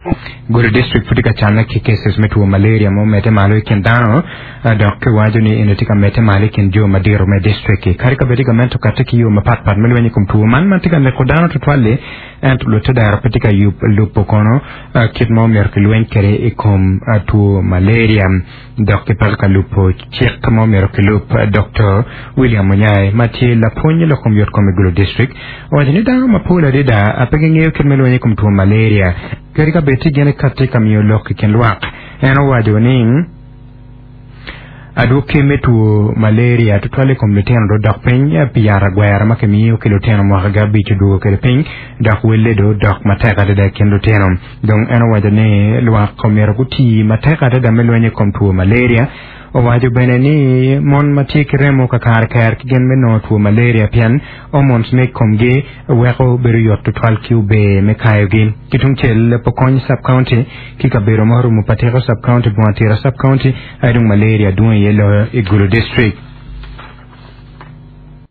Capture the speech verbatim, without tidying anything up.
Gulu district pud tye ka canne ki cases me two malaria ma omedde malo i kin dano dok kiwaco ni eni tye ka medde malo i kin jo madito me district-ki. Kadi ka bed ni gamente okati ki yo mapatpat me lweny i kom two man ma tye ka neko dano tutwal-li ento lutedero pe tye ka lubo kono kit ma omyero kilweny kwede i kom two malaria dok gipeko ka lubo cik ma omyero kilub. Doktor William Munyai ma tye lapwony i lok kom yotkom i Gulu district owaco ni dano mapol adada pe gingeyo kit me lweny i kom two malaria kadi ka bed tye gin kati ka miyo lok i kin lwak. En owaco ni adwoki me two malaria tutwal i kom lutino do dok piny pi yat agwera ma kimiyo ki lutino mwaka abic odwogo kwede piny dok welle do dok matek adada i kin lutino. Dong en owaco ni lwak omyero gutii matek adada me lweny i kom two malaria. Owaco bene ni mon ma tye ki remo kakare ker ki gin me nongo two malaria pien hormones me komgi weko bedo yot tutwal ki ober me kayogi. Ki tungcel Pokony sub-county ki kabedo ma orumo Patiko sub-county, Bunga Tira sub-county aye dong malaria dwong iye loyo i Gulu district.